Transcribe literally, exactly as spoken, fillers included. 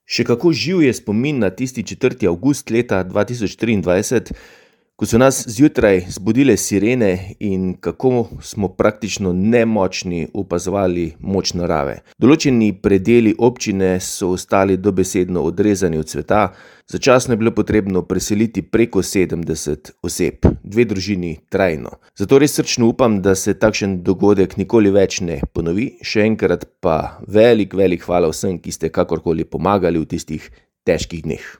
Še kako živ je spomin na tisti četrti avgust leta dva tisoč triindvajset, ko so nas zjutraj zbudile sirene in kako smo praktično nemočni opazovali moč narave. Določeni predeli občine so ostali dobesedno odrezani od sveta, začasno je bilo potrebno preseliti preko sedemdeset oseb, dve družini trajno. Zato res srčno upam, da se takšen dogodek nikoli več ne ponovi, še enkrat pa velik, velik hvala vsem, ki ste kakorkoli pomagali v tistih težkih dneh.